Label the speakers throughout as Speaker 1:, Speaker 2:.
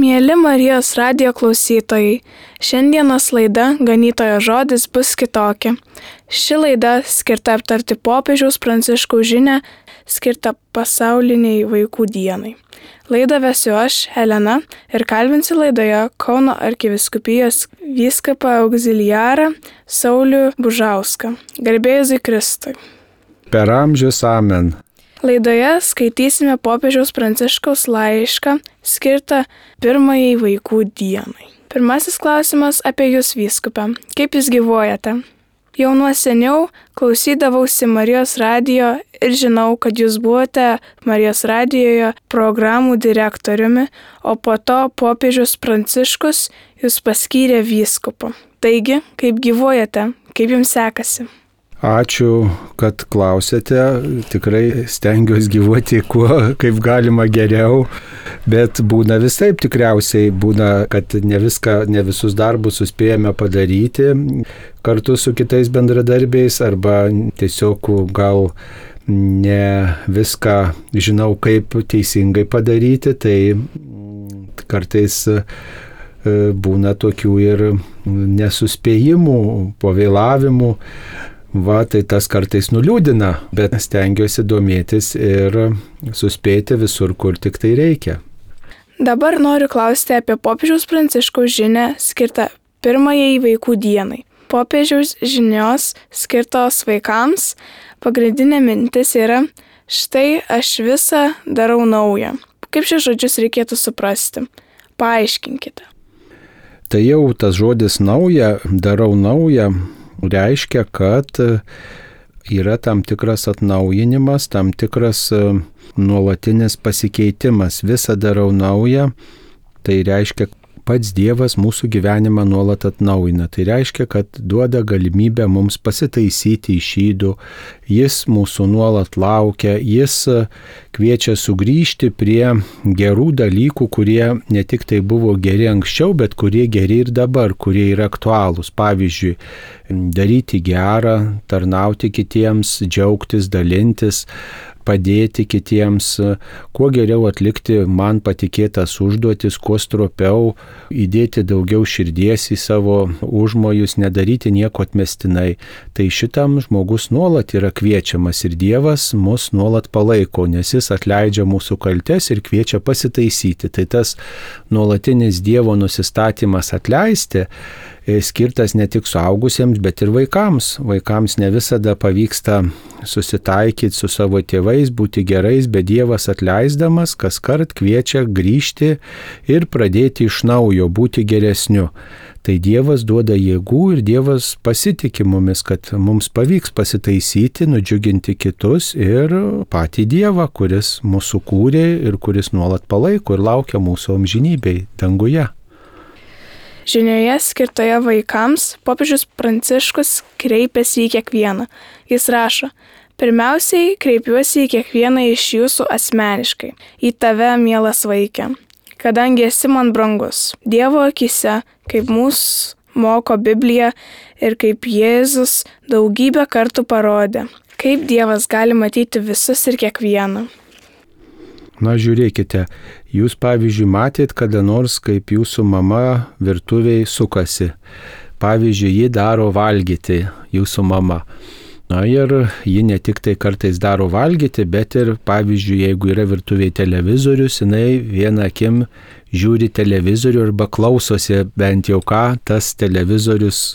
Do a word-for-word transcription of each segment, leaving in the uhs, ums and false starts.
Speaker 1: Mieli Marijos radijo klausytojai, šiandienos laida Ganytojo žodis bus kitokia. Ši laida skirta aptarti popiežiaus Pranciškaus žinią, skirta pasauliniai vaikų dienai. Laidą vesiu aš, Elena, ir kalbinsiu laidoje Kauno arkivyskupijos vyskupą auxiliarą Saulių Bužauską. Garbė Jėzui Kristui.
Speaker 2: Per amžius amen.
Speaker 1: Laidoje skaitysime popiežiaus Pranciškaus laišką skirtą pirmajai vaikų dienai. Pirmasis klausimas apie jūs, vyskupe. Kaip jūs gyvuojate? Jau nuo seniau klausydavausi Marijos radijo ir žinau, kad jūs buvote Marijos radijoje programų direktoriumi, o po to popiežius Pranciškus jūs paskyrė vyskupu. Taigi, kaip gyvuojate? Kaip jums sekasi?
Speaker 2: Ačiū, kad klausėte. Tikrai stengiuosi gyvuoti kuo kaip galima geriau, bet būna visaip tikriausiai. Būna, kad ne viską, ne visus darbus suspėjame padaryti kartu su kitais bendradarbiais, arba tiesiog gal ne viską žinau, kaip teisingai padaryti. Tai kartais būna tokių ir nesuspėjimų, pavėlavimų. Va, tai tas kartais nuliūdina, bet stengiuosi domėtis ir suspėti visur, kur tik tai reikia.
Speaker 1: Dabar noriu klausti apie popiežiaus Pranciškaus žinią skirtą pirmajai vaikų dienai. Popiežiaus žinios skirtos vaikams pagrindinė mintis yra: štai aš visą darau naują. Kaip šios žodžius reikėtų suprasti? Paaiškinkite.
Speaker 2: Tai jau tas žodis nauja, darau naują, reiškia, kad yra tam tikras atnaujinimas, tam tikras nuolatinis pasikeitimas. Visą darau naują, tai reiškia, pats Dievas mūsų gyvenimą nuolat atnaujina. Tai reiškia, kad duoda galimybę mums pasitaisyti iš ydų, jis mūsų nuolat laukia, jis kviečia sugrįžti prie gerų dalykų, kurie ne tik tai buvo geri anksčiau, bet kurie geri ir dabar, kurie yra aktualūs. Pavyzdžiui, daryti gerą, tarnauti kitiems, džiaugtis, dalintis, padėti kitiems, kuo geriau atlikti man patikėtas užduotis, kuo stropiau, įdėti daugiau širdies į savo užmojus, nedaryti nieko atmestinai. Tai šitam žmogus nuolat yra kviečiamas ir Dievas mus nuolat palaiko, nes jis atleidžia mūsų kaltes ir kviečia pasitaisyti. Tai tas nuolatinis Dievo nusistatymas atleisti skirtas ne tik suaugusiems, bet ir vaikams. Vaikams ne visada pavyksta susitaikyti su savo tėvais, būti gerais, bet Dievas atleisdamas kaskart kviečia grįžti ir pradėti iš naujo, būti geresniu. Tai Dievas duoda jėgų ir Dievas pasitikė mumis, kad mums pavyks pasitaisyti, nudžiuginti kitus ir patį Dievą, kuris mūsų kūrė ir kuris nuolat palaiko ir laukia mūsų amžinybėj danguje.
Speaker 1: Žinioje skirtoje vaikams popiežius Pranciškus kreipiasi į kiekvieną. Jis rašo: pirmiausiai kreipiuosi į kiekvieną iš jūsų asmeniškai, į tave, mielas vaike, kadangi esi man brangus. Dievo akise, kaip mūsų moko Biblija ir kaip Jėzus daugybę kartų parodė, kaip Dievas gali matyti visus ir kiekvieną.
Speaker 2: Na, žiūrėkite, jūs pavyzdžiui matėt kada nors, kaip jūsų mama virtuvėje sukasi. Pavyzdžiui, ji daro valgyti, jūsų mama. Na ir ji ne tik tai kartais daro valgyti, bet ir, pavyzdžiui, jeigu yra virtuvėje televizorius, jinai vieną akim žiūri televizorių arba klausosi bent jau ką tas televizorius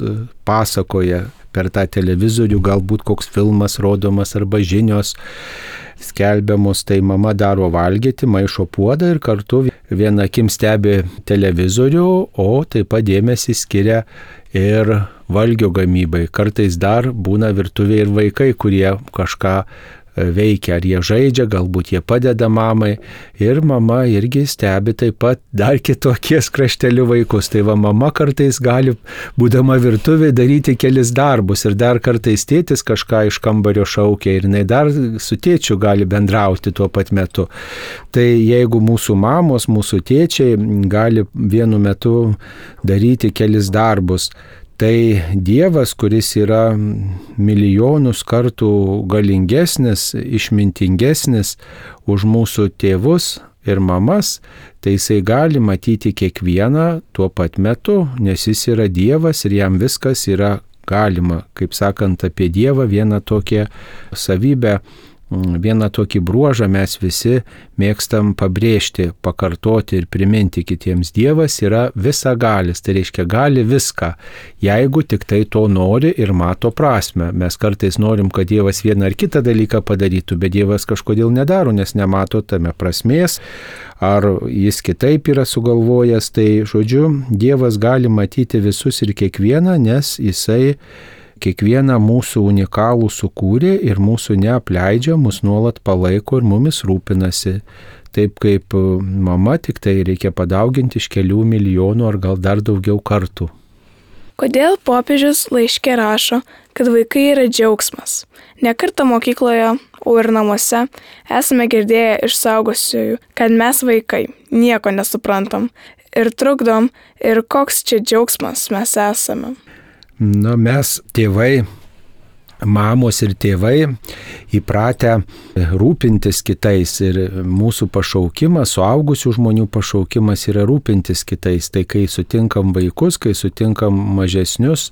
Speaker 2: pasakoja. Per tą televizorių galbūt koks filmas rodomas arba žinios skelbiamos, tai mama daro valgyti, maišo puodą ir kartu viena akim stebi televizorių, o taip pat dėmesį skiria ir valgio gamybai. Kartais dar būna virtuvėje ir vaikai, kurie kažką veikia, ar jie žaidžia, galbūt jie padeda mamai ir mama irgi stebi taip pat dar kitokies kraštelių vaikus. Tai va, mama kartais gali, būdama virtuvėje, daryti kelis darbus ir dar kartais tėtis kažką iš kambario šaukia ir jinai dar su tėčiu gali bendrauti tuo pat metu. Tai jeigu mūsų mamos, mūsų tėčiai gali vienu metu daryti kelis darbus, tai Dievas, kuris yra milijonus kartų galingesnis, išmintingesnis už mūsų tėvus ir mamas, tai jisai gali matyti kiekvieną tuo pat metu, nes jis yra Dievas ir jam viskas yra galima. Kaip sakant apie Dievą, vieną tokią savybę, vieną tokį bruožą mes visi mėgstam pabrėžti, pakartoti ir priminti kitiems. Dievas yra visagalis, tai reiškia gali viską, jeigu tik tai to nori ir mato prasmę. Mes kartais norim, kad Dievas vieną ar kitą dalyką padarytų, bet Dievas kažkodėl nedaro, nes nemato tame prasmės, ar jis kitaip yra sugalvojęs. Tai žodžiu, Dievas gali matyti visus ir kiekvieną, nes jisai kiekvieną mūsų unikalų sukūrė ir mūsų neapleidžia, mus nuolat palaiko ir mumis rūpinasi. Taip kaip mama, tik tai reikia padauginti iš kelių milijonų ar gal dar daugiau kartų.
Speaker 1: Kodėl popiežius laiške rašo, kad vaikai yra džiaugsmas? Ne kartą mokykloje, o ir namuose esame girdėję iš suaugusiųjų, kad mes vaikai nieko nesuprantam ir trukdom, ir koks čia džiaugsmas mes esame.
Speaker 2: Na, mes tėvai, mamos ir tėvai įpratę rūpintis kitais ir mūsų pašaukimas, suaugusių žmonių pašaukimas yra rūpintis kitais. Tai kai sutinkam vaikus, kai sutinkam mažesnius,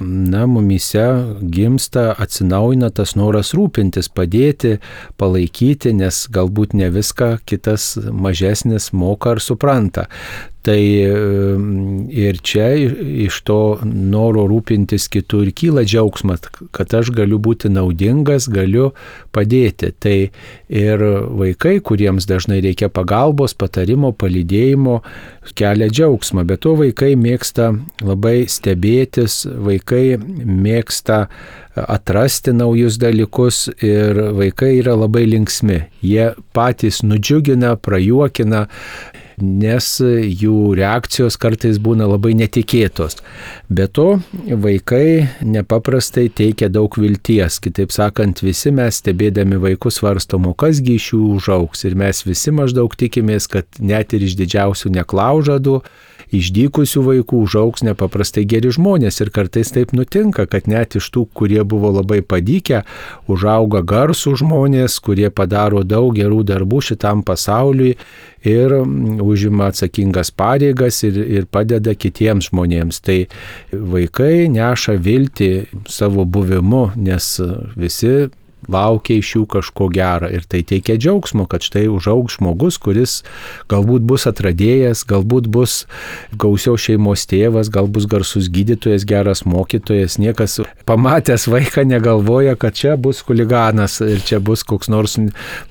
Speaker 2: na, mumyse gimsta, atsinaujina tas noras rūpintis, padėti, palaikyti, nes galbūt ne viską kitas mažesnis moka ar supranta. Tai ir čia iš to noro rūpintis kitų ir kyla džiaugsmas, kad aš galiu būti naudingas, galiu padėti. Tai ir vaikai, kuriems dažnai reikia pagalbos, patarimo, palydėjimo, kelia džiaugsmą. Bet to vaikai mėgsta labai stebėtis, vaikai mėgsta atrasti naujus dalykus ir vaikai yra labai linksmi. Jie patys nudžiugina, prajuokina, nes jų reakcijos kartais būna labai netikėtos. Be to, vaikai nepaprastai teikia daug vilties. Kitaip sakant, visi mes stebėdami vaikus svarstom, o kasgi iš jų užaugs. Ir mes visi maždaug tikimės, kad net ir iš didžiausių neklaužadų, išdykusių vaikų užaugs nepaprastai geri žmonės. Ir kartais taip nutinka, kad net iš tų, kurie buvo labai padykę, užauga garsų žmonės, kurie padaro daug gerų darbų šitam pasauliui ir užima atsakingas pareigas ir, ir padeda kitiems žmonėms. Tai vaikai neša viltį savo buvimu, nes visi laukia iš jų kažko gero ir tai teikia džiaugsmo, kad štai užaugs žmogus, kuris galbūt bus atradėjas, galbūt bus gausios šeimos tėvas, gal bus garsus gydytojas, geras mokytojas. Niekas pamatęs vaiką negalvoja, kad čia bus chuliganas ir čia bus koks nors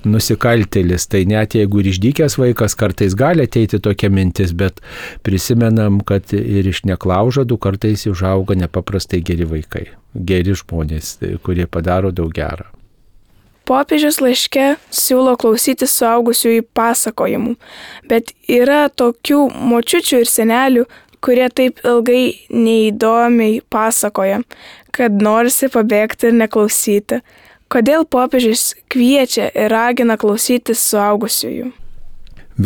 Speaker 2: nusikaltėlis. Tai net jeigu ir išdykęs vaikas, kartais gali ateiti tokia mintis, bet prisimenam, kad ir iš neklaužadų kartais užauga nepaprastai geri vaikai, geri žmonės, kurie padaro daug gerą.
Speaker 1: Popiežius laiške siūlo klausyti suaugusiųjų pasakojimų, bet yra tokių močiučių ir senelių, kurie taip ilgai neįdomiai pasakoja, kad norisi pabėgti ir neklausyti. Kodėl popiežius kviečia ir ragina klausytis suaugusiųjų?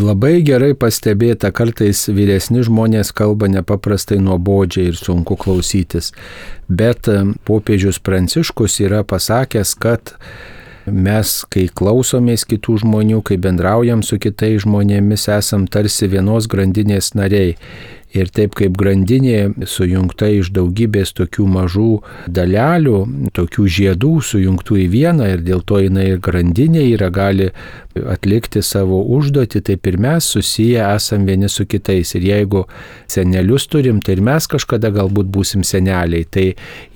Speaker 2: Labai gerai pastebėta, kartais vyresni žmonės kalba nepaprastai nuobodžiai ir sunku klausytis, bet popiežius Pranciškus yra pasakęs, kad mes, kai klausomės kitų žmonių, kai bendraujam su kitais žmonėmis, esam tarsi vienos grandinės nariai. Ir taip kaip grandinė sujungta iš daugybės tokių mažų dalelių, tokių žiedų sujungtų į vieną ir dėl to jinai ir grandinė yra, gali atlikti savo užduotį, taip ir mes susiję esam vieni su kitais. Ir jeigu senelius turim, tai ir mes kažkada galbūt būsim seneliai. Tai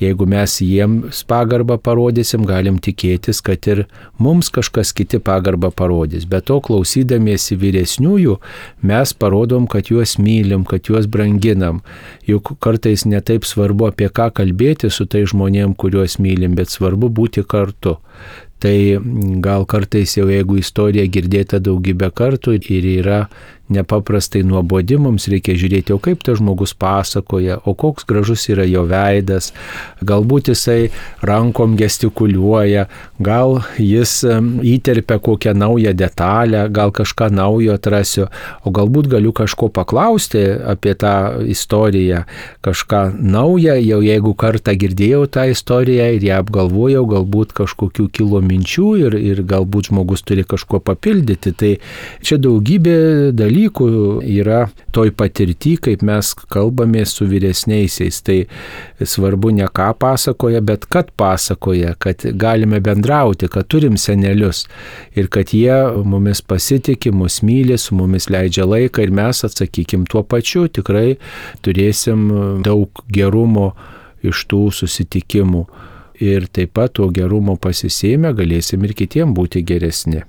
Speaker 2: jeigu mes jiems pagarbą parodysim, galim tikėtis, kad ir mums kažkas kiti pagarbą parodys. Be to, klausydamiesi vyresniųjų, mes parodom, kad juos mylim, kad juos branginam. Juk kartais netaip svarbu apie ką kalbėti su tai žmonėm, kuriuos mylim, bet svarbu būti kartu. Tai gal kartais jau jeigu istorija girdėta daugybę kartų ir yra nepaprastai nuobodi, mums reikia žiūrėti, o kaip tas žmogus pasakoja, o koks gražus yra jo veidas, galbūt jisai rankom gestikuliuoja, gal jis įterpia kokią naują detalę, gal kažką naujo atrasiu, o galbūt galiu kažko paklausti apie tą istoriją, kažką naują, jau jeigu kartą girdėjau tą istoriją ir ją apgalvojau, galbūt kažkokių kilo minčių ir, ir galbūt žmogus turi kažkuo papildyti. Tai čia daugybė dalykų yra toj patirty, kaip mes kalbame su vyresniaisiais. Tai svarbu ne ką pasakoja, bet kad pasakoja, kad galime bendrauti, kad turim senelius ir kad jie mumis pasitikė, mus myli, su mumis leidžia laiką ir mes atsakykim tuo pačiu. Tikrai turėsim daug gerumo iš tų susitikimų. Ir taip pat to gerumo pasisėmę galėsim ir kitiem būti geresni.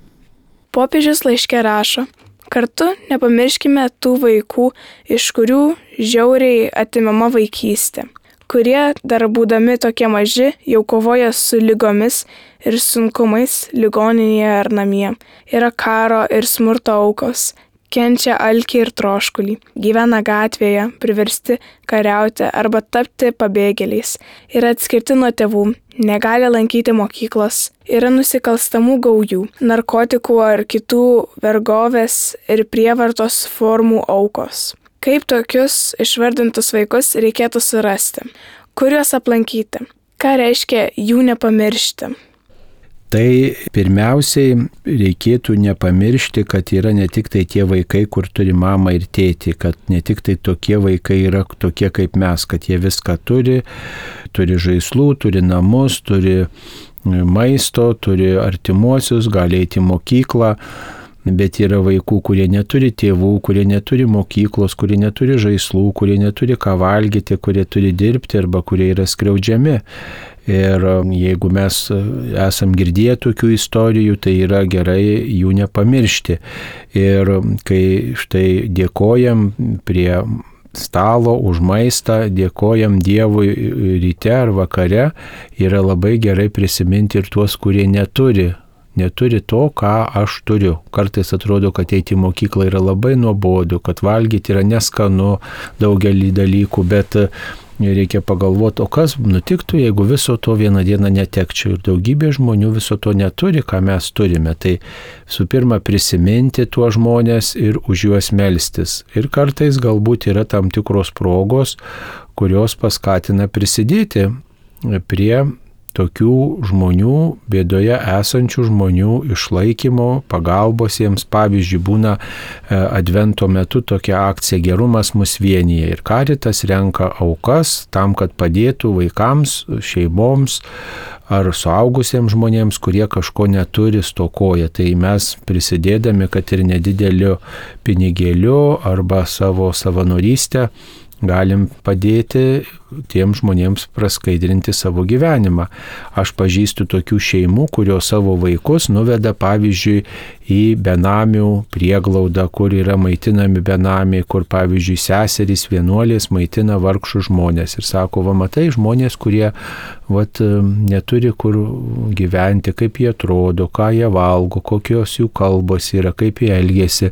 Speaker 1: Popiežius laiške rašo, kartu nepamirškime tų vaikų, iš kurių žiauriai atimama vaikystė, kurie dar būdami tokie maži jau kovoja su ligomis ir sunkumais ligoninėje ar namie, yra karo ir smurto aukos, kenčia alkį ir troškulį, gyvena gatvėje, priversti kariauti arba tapti pabėgėliais, yra atskirti nuo tėvų, negali lankyti mokyklos, yra nusikalstamų gaujų, narkotikų ar kitų vergovės ir prievartos formų aukos. Kaip tokius išvardintus vaikus reikėtų surasti? Kur juos aplankyti? Ką reiškia jų nepamiršti?
Speaker 2: Tai pirmiausiai reikėtų nepamiršti, kad yra ne tik tai tie vaikai, kur turi mamą ir tėtį, kad ne tik tai tokie vaikai yra tokie kaip mes, kad jie viską turi, turi žaislų, turi namus, turi maisto, turi artimuosius, gali eiti į mokyklą, bet yra vaikų, kurie neturi tėvų, kurie neturi mokyklos, kurie neturi žaislų, kurie neturi ką valgyti, kurie turi dirbti arba kurie yra skriaudžiami. Ir jeigu mes esam girdėję tokių istorijų, tai yra gerai jų nepamiršti. Ir kai štai dėkojam prie stalo už maistą, dėkojam Dievui ryte ar vakare, yra labai gerai prisiminti ir tuos, kurie neturi. Neturi to, ką aš turiu. Kartais atrodo, kad eiti į mokyklą yra labai nuobodu, kad valgyti yra neskanu daugelį dalykų, bet reikia pagalvoti, o kas nutiktų, jeigu viso to vieną dieną netekčiau. Ir daugybė žmonių viso to neturi, ką mes turime. Tai su pirma prisiminti tuos žmonės ir už juos melstis. Ir kartais galbūt yra tam tikros progos, kurios paskatina prisidėti prie tokių žmonių, bėdoje esančių žmonių išlaikymo, pagalbos jiems. Pavyzdžiui, būna advento metu tokia akcija Gerumas mus vienyje ir Caritas renka aukas tam, kad padėtų vaikams, šeimoms ar suaugusiems žmonėms, kurie kažko neturi, stokoja. Tai mes prisidėdami, kad ir nedideliu pinigėliu arba savo savanorystę galim padėti tiem žmonėms praskaidrinti savo gyvenimą. Aš pažįstu tokių šeimų, kurios savo vaikus nuveda, pavyzdžiui, į benamių prieglaudą, kur yra maitinami benamiai, kur, pavyzdžiui, seserys vienuolės maitina vargšus žmonės. Ir sako, va, matai, žmonės, kurie vat, neturi kur gyventi, kaip jie atrodo, ką jie valgo, kokios jų kalbos yra, kaip jie elgiasi.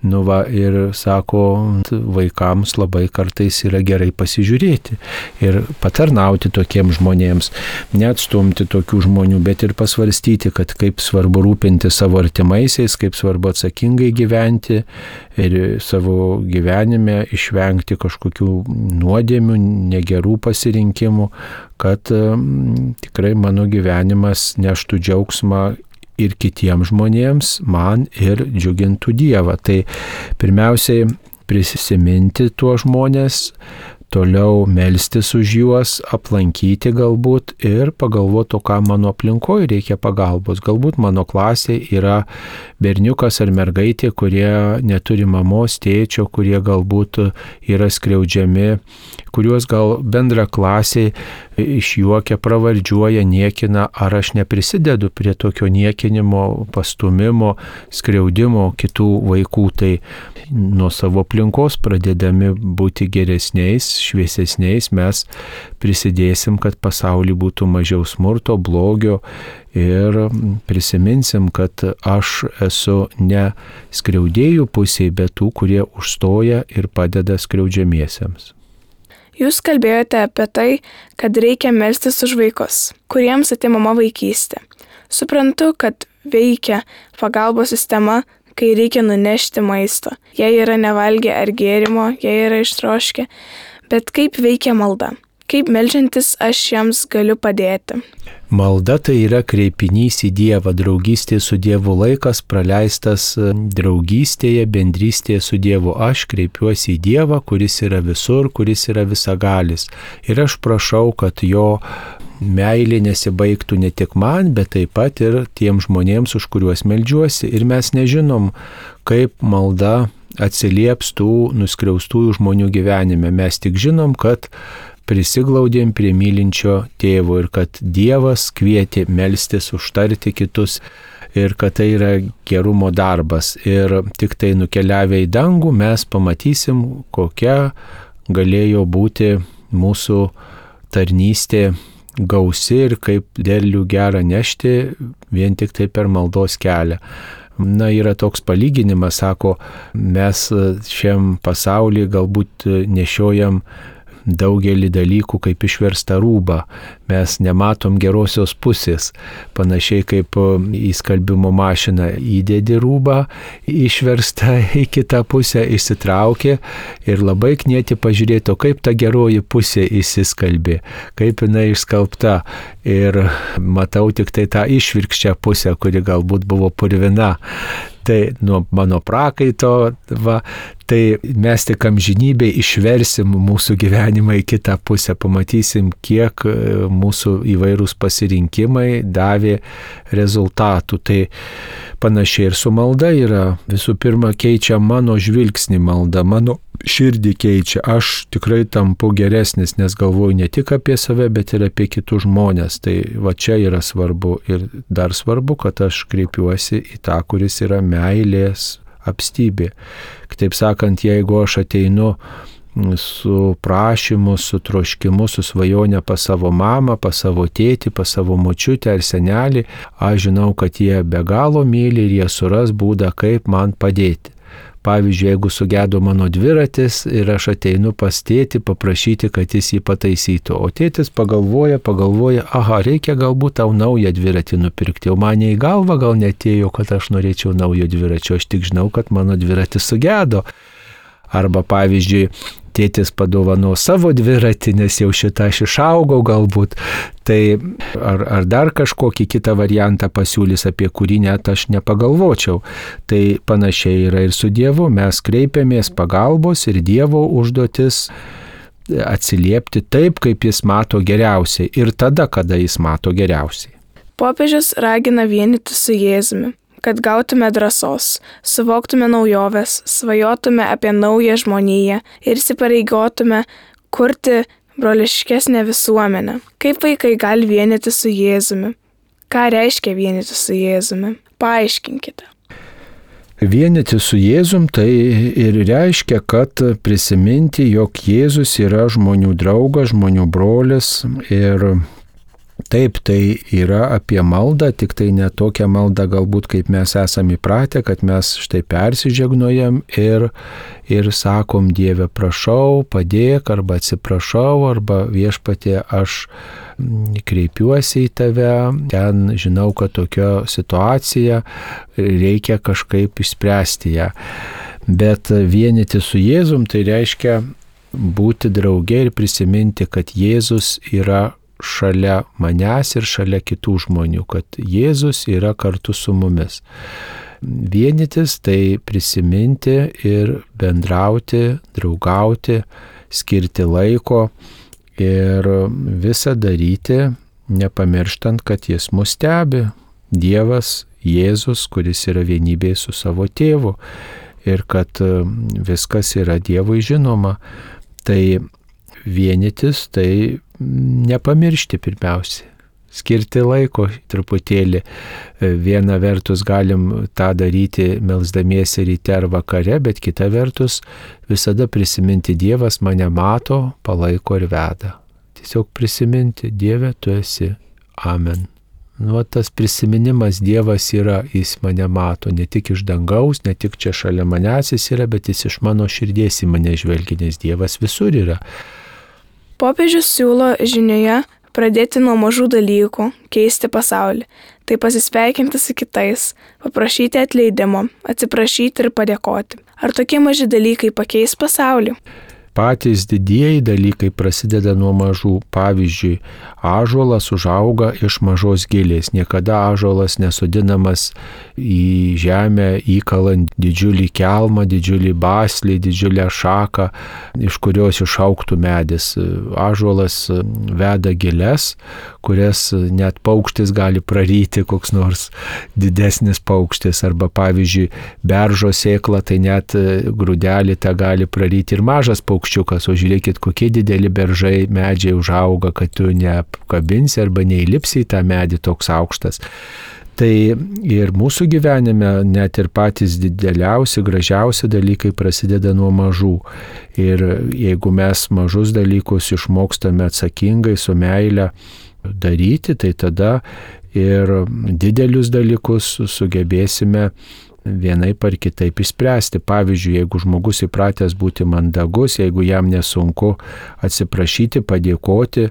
Speaker 2: Nu, va, ir sako, vaikams labai kartais yra gerai pasižiūrėti ir patarnauti tokiems žmonėms, neatstumti tokių žmonių, bet ir pasvarstyti, kad kaip svarbu rūpinti savo artimaisiais, kaip svarbu atsakingai gyventi ir savo gyvenime išvengti kažkokių nuodėmių, negerų pasirinkimų, kad um, tikrai mano gyvenimas neštų džiaugsmą ir kitiems žmonėms, man ir džiugintų Dievą. Tai pirmiausiai prisiminti tuos žmonės, toliau melstis už juos, aplankyti galbūt ir pagalvoti, o ką mano aplinkoje reikia pagalbos. Galbūt mano klasėje yra berniukas ar mergaitė, kurie neturi mamos, tėčio, kurie galbūt yra skriaudžiami, kuriuos gal bendra klasė išjuokia, pravardžiuoja, niekina, ar aš neprisidedu prie tokio niekinimo, pastumimo, skriaudimo kitų vaikų. Tai nuo savo aplinkos pradėdami būti geresniais, šviesesniais, mes prisidėsim, kad pasaulyje būtų mažiau smurto, blogio ir prisiminsim, kad aš esu ne skriaudėjų pusėje, bet tų, kurie užstoja ir padeda skriaudžiamiesiems.
Speaker 1: Jūs kalbėjote apie tai, kad reikia melstis už vaikus, kuriems atimama vaikystė. Suprantu, kad veikia pagalbos sistema, kai reikia nunešti maisto. Jie yra nevalgę ar gėrimo, jie yra ištroškę. Bet kaip veikia malda? Kaip meldžiantis aš jiems galiu padėti?
Speaker 2: Malda tai yra kreipinys į Dievą, draugystė su Dievu, laikas praleistas draugystėje, bendrystėje su Dievu. Aš kreipiuosi į Dievą, kuris yra visur, kuris yra visagalis. Ir aš prašau, kad jo meilė nesibaigtų ne tik man, bet taip pat ir tiem žmonėms, už kuriuos meldžiuosi. Ir mes nežinom, kaip malda atsilieps tų nuskriaustųjų žmonių gyvenime. Mes tik žinom, kad prisiglaudėm prie mylinčio tėvo ir kad Dievas kvietė melstis, užtarti kitus ir kad tai yra gerumo darbas. Ir tik tai nukeliavę į dangų mes pamatysim, kokia galėjo būti mūsų tarnystė gausi ir kaip derlių gerą nešti vien tik tai per maldos kelią. Na, yra toks palyginimas, sako, mes šiam pasaulyje galbūt nešiojam daugelį dalykų kaip išverstą rūbą. Mes nematom gerosios pusės. Panašiai kaip į skalbimo mašiną įdedi rūbą, išverstą į kitą pusę, išsitraukė ir labai knieti pažiūrėti, kaip ta geroji pusė įsiskalbė, kaip jinai išskalbta. Ir matau tik tai tą išvirkščią pusę, kuri galbūt buvo purvina. Tai nuo mano prakaito, va, tai mes tik amžinybėj išversim mūsų gyvenimą į kitą pusę, pamatysim, kiek mūsų įvairūs pasirinkimai davė rezultatų. Tai panašiai ir su malda yra. Visų pirma, keičia mano žvilgsnį malda, mano širdį keičia. Aš tikrai tampu geresnis, nes galvoju ne tik apie save, bet ir apie kitus žmonės. Tai va čia yra svarbu. Ir dar svarbu, kad aš kreipiuosi į tą, kuris yra meilės apstybė. Kitaip sakant, jeigu aš ateinu su prašymu, su troškimu, su svajonė pas savo mamą, pas savo tėtį, pas savo močiutę ar senelį, aš žinau, kad jie be galo myli ir jie suras būdą, kaip man padėti. Pavyzdžiui, jeigu sugedo mano dviratis ir aš ateinu pas tėtį paprašyti, kad jis jį pataisytų, o tėtis pagalvoja, pagalvoja, aha, reikia galbūt tau naują dviratį nupirkti, o man į galvą gal netėjo, kad aš norėčiau naujo dviračio, aš tik žinau, kad mano dviratis sugedo. Arba pavyzdžiui, tėtis padovano savo dviratį, nes jau šitą aš išaugau galbūt, tai ar, ar dar kažkokį kitą variantą pasiūlys, apie kurį net aš nepagalvočiau. Tai panašiai yra ir su Dievu, mes kreipiamės pagalbos ir Dievo užduotis atsiliepti taip, kaip jis mato geriausiai ir tada, kada jis mato geriausiai.
Speaker 1: Popiežius ragina vienyti su Jėzumi, kad gautume drąsos, suvoktume naujoves, svajotume apie naują žmoniją ir įsipareigotume kurti broliškesnę visuomenę. Kaip vaikai gali vienyti su Jėzumi? Ką reiškia vienyti su Jėzumi? Paaiškinkite.
Speaker 2: Vienyti su Jėzum tai ir reiškia, kad prisiminti, jog Jėzus yra žmonių draugas, žmonių brolis ir taip, tai yra apie maldą, tik tai ne tokia malda galbūt, kaip mes esame įpratę, kad mes štai persižegnojam ir, ir sakom, Dieve, prašau, padėk, arba atsiprašau, arba viešpatie, aš kreipiuosi į tave, ten žinau, kad tokia situacija, reikia kažkaip išspręsti ją. Bet vienyti su Jėzum tai reiškia būti drauge ir prisiminti, kad Jėzus yra šalia manęs ir šalia kitų žmonių, kad Jėzus yra kartu su mumis. Vienytis tai prisiminti ir bendrauti, draugauti, skirti laiko ir visą daryti, nepamirštant, kad jis mus stebi. Dievas, Jėzus, kuris yra vienybėje su savo tėvu ir kad viskas yra Dievui žinoma. Tai vienytis tai nepamiršti pirmiausia, skirti laiko truputėlį. Viena vertus galim tą daryti melsdamiesi ryte ar vakare, bet kita vertus visada prisiminti, Dievas mane mato, palaiko ir veda. Tiesiog prisiminti, Dieve, tu esi. Amen. Nu, tas prisiminimas, Dievas yra, jis mane mato, ne tik iš dangaus, ne tik čia šalia manęs jis yra, bet jis iš mano širdies į mane žvelgia, nes Dievas visur yra.
Speaker 1: Popiežius siūlo žinioje pradėti nuo mažų dalykų, keisti pasaulį, tai pasisveikinti su kitais, paprašyti atleidimo, atsiprašyti ir padėkoti. Ar tokie maži dalykai pakeis pasaulį?
Speaker 2: Patys didieji dalykai prasideda nuo mažų. Pavyzdžiui, ąžuolas užauga iš mažos gilės. Niekada ąžuolas nesodinamas į žemę, įkalant didžiulį kelmą, didžiulį baslį, didžiulę šaką, iš kurios išaugtų medis. Ąžuolas veda gilės, kurias net paukštis gali praryti, koks nors didesnis paukštis. Arba pavyzdžiui, beržo sėkla, tai net grūdelį tą gali praryti ir mažas paukščiukas. O žiūrėkit, kokie dideli beržai, medžiai užauga, kad tu neapkabinsi arba neįlipsi į tą medį toks aukštas. Tai ir mūsų gyvenime net ir patys dideliausi, gražiausi dalykai prasideda nuo mažų. Ir jeigu mes mažus dalykus išmokstame atsakingai, su meile daryti, tai tada ir didelius dalykus sugebėsime vienaip ar kitaip išspręsti. Pavyzdžiui, jeigu žmogus įpratęs būti mandagus, jeigu jam nesunku atsiprašyti, padėkoti,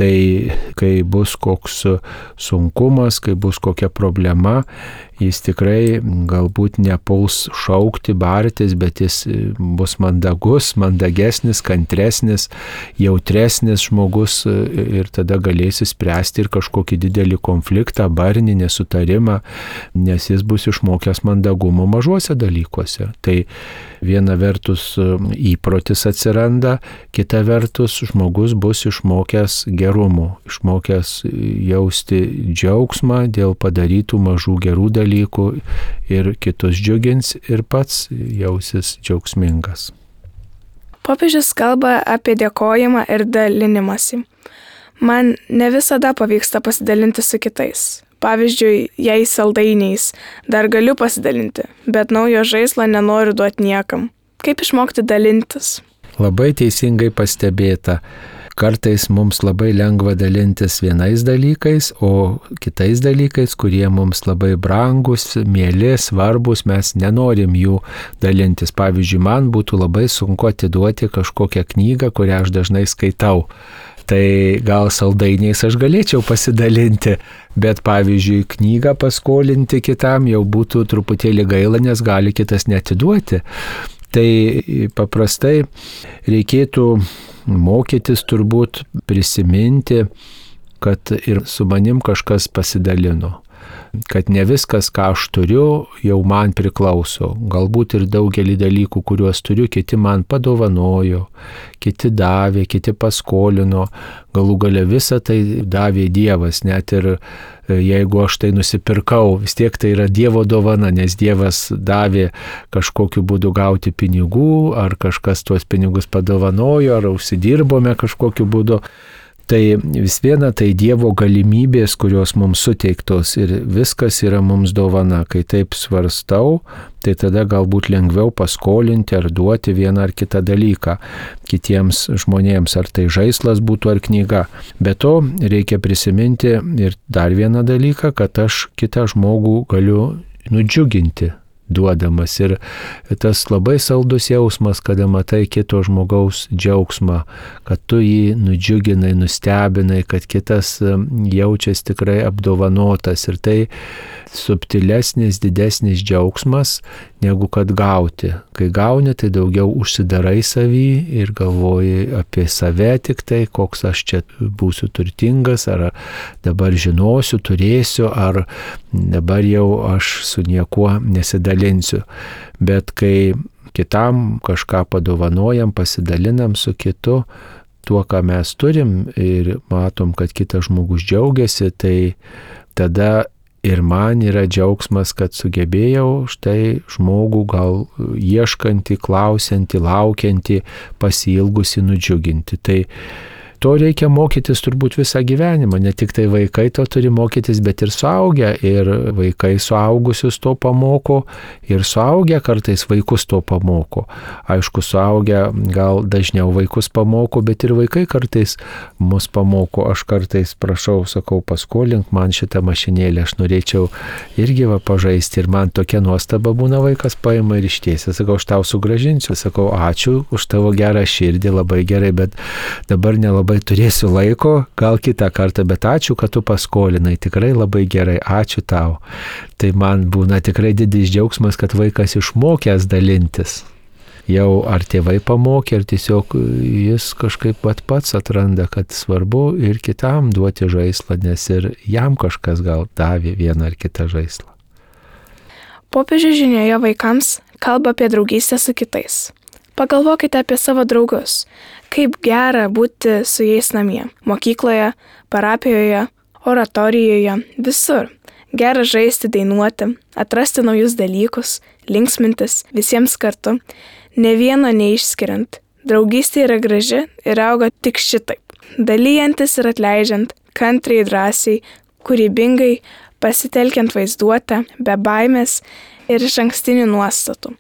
Speaker 2: tai kai bus koks sunkumas, kai bus kokia problema, jis tikrai galbūt nepuls šaukti, bartis, bet jis bus mandagus, mandagesnis, kantresnis, jautresnis žmogus ir tada galės spręsti ir kažkokį didelį konfliktą, barnį, nesutarimą, nes jis bus išmokęs mandagumo mažuose dalykuose. Tai viena vertus įprotis atsiranda, kita vertus žmogus bus išmokęs gerumo, išmokęs jausti džiaugsmą dėl padarytų mažų gerų dalykų ir kitus džiugins ir pats jausis džiaugsmingas.
Speaker 1: Popiežius kalba apie dėkojimą ir dalinimąsi. Man ne visada pavyksta pasidalinti su kitais. Pavyzdžiui, jei saldainiais dar galiu pasidalinti, bet naujo žaislo nenoriu duoti niekam. Kaip išmokti dalintis?
Speaker 2: Labai teisingai pastebėta. Kartais mums labai lengva dalintis vienais dalykais, o kitais dalykais, kurie mums labai brangus, mieli, svarbus, mes nenorim jų dalintis. Pavyzdžiui, man būtų labai sunku atiduoti kažkokią knygą, kurią aš dažnai skaitau. Tai gal saldainiais aš galėčiau pasidalinti, bet pavyzdžiui, knygą paskolinti kitam jau būtų truputėlį gaila, nes gali kitas neatiduoti. Tai paprastai reikėtų mokytis turbūt prisiminti, kad ir su manim kažkas pasidalino. Kad ne viskas, ką aš turiu, jau man priklauso. Galbūt ir daugelį dalykų, kuriuos turiu, kiti man padovanojo, kiti davė, kiti paskolino. Galų gale visą tai davė Dievas, net ir jeigu aš tai nusipirkau, vis tiek tai yra Dievo dovana, nes Dievas davė kažkokiu būdu gauti pinigų, ar kažkas tuos pinigus padovanojo, ar užsidirbome kažkokiu būdu. Tai vis viena tai Dievo galimybės, kurios mums suteiktos ir viskas yra mums dovana. Kai taip svarstau, tai tada galbūt lengviau paskolinti ar duoti vieną ar kitą dalyką kitiems žmonėms, ar tai žaislas būtų ar knyga. Be to reikia prisiminti ir dar vieną dalyką, kad aš kitą žmogų galiu nudžiuginti duodamas. Ir tas labai saldus jausmas, kada matai kito žmogaus džiaugsmą, kad tu jį nudžiuginai, nustebinai, kad kitas jaučiasi tikrai apdovanotas. Ir tai subtilesnis, didesnis džiaugsmas, negu kad gauti. Kai gauni, tai daugiau užsidarai savį ir galvoji apie save tik tai, koks aš čia būsiu turtingas, ar dabar žinosiu, turėsiu, ar dabar jau aš su niekuo nesidalinsiu. Bet kai kitam kažką padovanojam, pasidalinam su kitu, tuo, ką mes turim ir matom, kad kitas žmogus džiaugiasi, tai tada ir man yra džiaugsmas, kad sugebėjau štai žmogų gal ieškantį, klausiantį, laukiantį, pasiilgusi nudžiuginti. Tai to reikia mokytis turbūt visą gyvenimą. Ne tik tai vaikai to turi mokytis, bet ir suaugę. Ir vaikai suaugusius to pamoko, ir suaugę kartais vaikus to pamoko. Aišku, suaugę gal dažniau vaikus pamoko, bet ir vaikai kartais mus pamoko. Aš kartais prašau, sakau, paskolink man šitą mašinėlę, aš norėčiau irgi va pažaisti. Ir man tokia nuostaba būna, vaikas paima ir ištiesia. Sakau, aš tau sugrąžinsiu. Sakau, ačiū už tavo gerą širdį, labai gerai, bet dabar nelabai turėsiu laiko, gal kitą kartą, bet ačiū, kad tu paskolinai, tikrai labai gerai, ačiū tau. Tai man būna tikrai didis džiaugsmas, kad vaikas išmokęs dalintis. jau ar tėvai pamokė, ar tiesiog jis kažkaip pat pats atranda, kad svarbu ir kitam duoti žaislą, nes ir jam kažkas gal davė vieną ar kitą žaislą.
Speaker 1: Popiežius žinioje vaikams kalba apie draugystę su kitais. Pagalvokite apie savo draugus, kaip gera būti su jais namie, mokykloje, parapijoje, oratorijoje, visur. Gera žaisti, dainuoti, atrasti naujus dalykus, linksmintis visiems kartu, ne vieno neišskiriant. Draugystė yra graži ir auga tik šitaip. Dalyjantis ir atleidžiant, kantriai, drąsiai, kūrybingai, pasitelkiant vaizduotę, be baimės ir išankstinių nuostatų.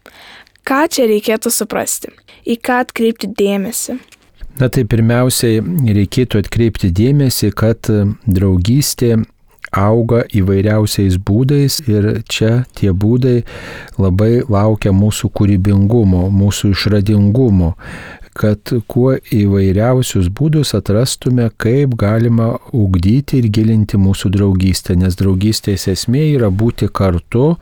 Speaker 1: Ką čia reikėtų suprasti? Į ką atkreipti dėmesį?
Speaker 2: Na tai pirmiausiai reikėtų atkreipti dėmesį, kad draugystė auga įvairiausiais būdais ir čia tie būdai labai laukia mūsų kūrybingumo, mūsų išradingumo, kad kuo įvairiausius būdus atrastume, kaip galima ugdyti ir gilinti mūsų draugystę, nes draugystės esmė yra būti kartu,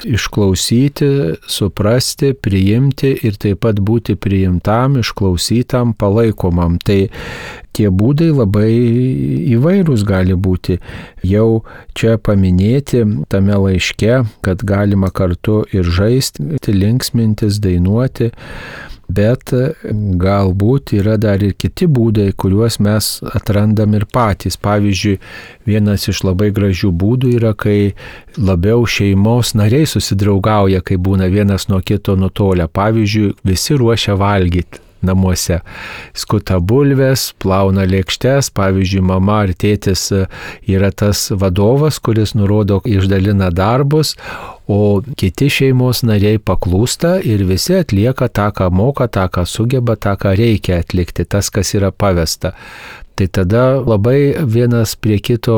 Speaker 2: išklausyti, suprasti, priimti ir taip pat būti priimtam, išklausytam, palaikomam. Tai tie būdai labai įvairūs gali būti. Jau čia paminėti tame laiške, kad galima kartu ir žaisti, linksmintis, dainuoti, bet galbūt yra dar ir kiti būdai, kuriuos mes atrandam ir patys. Pavyzdžiui, vienas iš labai gražių būdų yra, kai labiau šeimos nariai susidraugauja, kai būna vienas nuo kito nutolę. Pavyzdžiui, visi ruošia valgyti namuose. Skuta bulves, plauna lėkštes, pavyzdžiui, mama ar tėtis yra tas vadovas, kuris nurodo, išdalina darbus, o kiti šeimos nariai paklūsta ir visi atlieka tą, ką moka, tą, ką sugeba, tą, ką reikia atlikti, tas, kas yra pavesta. Tai tada labai vienas prie kito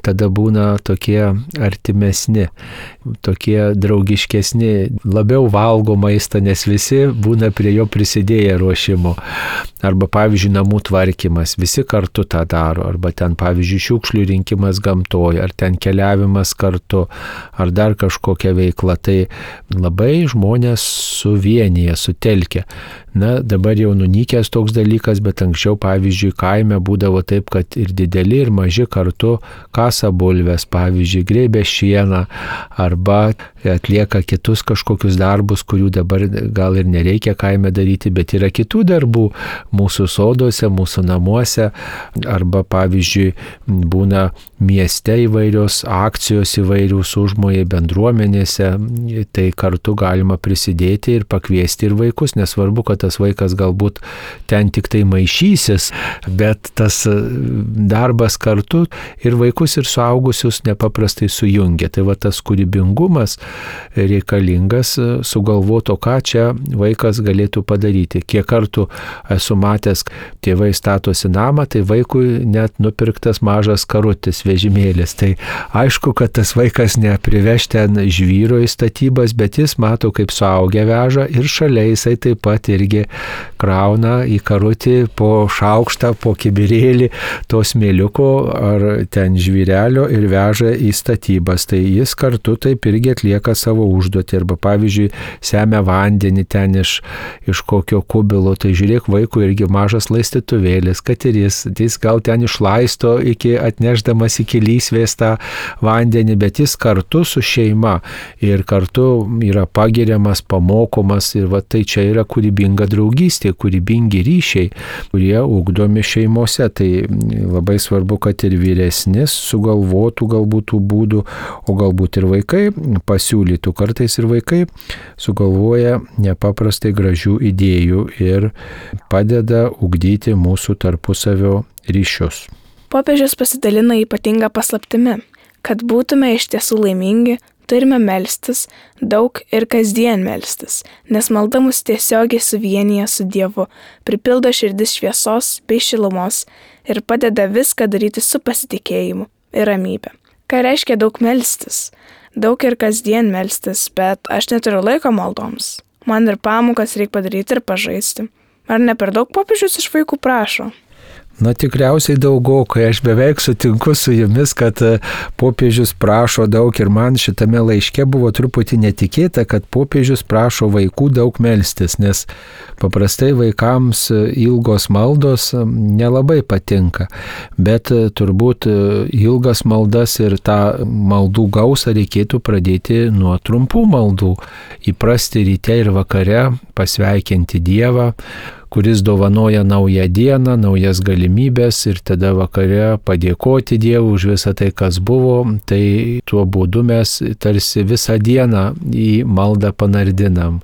Speaker 2: tada būna tokie artimesni, tokie draugiškesni, labiau valgo maistą, nes visi būna prie jo prisidėję ruošimo. Arba, pavyzdžiui, namų tvarkymas, visi kartu tą daro. Arba ten, pavyzdžiui, šiukšlių rinkimas gamtoje, ar ten keliavimas kartu, ar dar kažkokia veikla. Tai labai žmonės suvienyje, sutelkia. Na, dabar jau nunykęs toks dalykas, bet anksčiau, pavyzdžiui, kaime būdavo taip, kad ir dideli, ir maži kartu kasa bulves, pavyzdžiui, grėbė šieną, arba atlieka kitus kažkokius darbus, kurių dabar gal ir nereikia kaime daryti, bet yra kitų darbų mūsų soduose, mūsų namuose, arba, pavyzdžiui, būna mieste įvairios akcijos, įvairius užmojai bendruomenėse, tai kartu galima prisidėti ir pakviesti ir vaikus, nesvarbu, kad tas vaikas galbūt ten tik tai maišysis, bet tas darbas kartu ir vaikus ir suaugusius nepaprastai sujungia. Tai va tas kūrybingumas reikalingas sugalvoto, ką čia vaikas galėtų padaryti. Kiek kartų esu matęs, tėvai statosi namą, tai vaikui net nupirktas mažas karutis vežimėlis. Tai aišku, kad tas vaikas nepriveš ten žvyro į statybas, bet jis mato, kaip suaugę veža ir šalia jisai taip pat irgi krauna į karutį po šaukštą, po kibirėlį to smėliuko ar ten žvyrelio ir veža į statybas. Tai jis kartu taip irgi atlieka savo užduotį. Arba, pavyzdžiui, semia vandenį ten iš, iš kokio kubilo. Tai žiūrėk, vaikų irgi mažas laistytuvėlis, kad ir jis, jis gal ten išlaisto iki atnešdamas iki lysvės tą vandenį, bet jis kartu su šeima ir kartu yra pagiriamas, pamokomas ir va tai čia yra kūrybinga draugystė, kūrybingi ryšiai, kurie ugdomi šeimose. Tai labai svarbu, kad ir vyresnis sugalvotų galbūt tų būdų, o galbūt ir vaikai pasiūlytų. Kartais ir vaikai sugalvoja nepaprastai gražių idėjų ir padeda ugdyti mūsų tarpusavio ryšius.
Speaker 1: Popiežius pasidalina ypatingą paslaptimi, kad būtume iš tiesų laimingi, turime melstis, daug ir kasdien melstis, nes malda mus tiesiogiai suvienyje su Dievu, pripildo širdis šviesos bei šilumos ir padeda viską daryti su pasitikėjimu ir ramybe. Ką reiškia daug melstis? Daug ir kasdien melstis, bet aš neturiu laiko maldoms. Man ir pamokas reikia padaryti ir pažaisti. Ar ne per daug popiežius iš vaikų prašo?
Speaker 2: Na tikriausiai daugokai, aš beveik sutinku su jumis, kad popiežius prašo daug ir man šitame laiške buvo truputį netikėta, kad popiežius prašo vaikų daug melstis, nes paprastai vaikams ilgos maldos nelabai patinka, bet turbūt ilgas maldas ir tą maldų gausą reikėtų pradėti nuo trumpų maldų, įprasti ryte ir vakare pasveikinti Dievą, kuris dovanoja naują dieną, naujas galimybės ir tada vakare padėkoti Dievui už visą tai, kas buvo, tai tuo būdu mes tarsi visą dieną į maldą panardinam.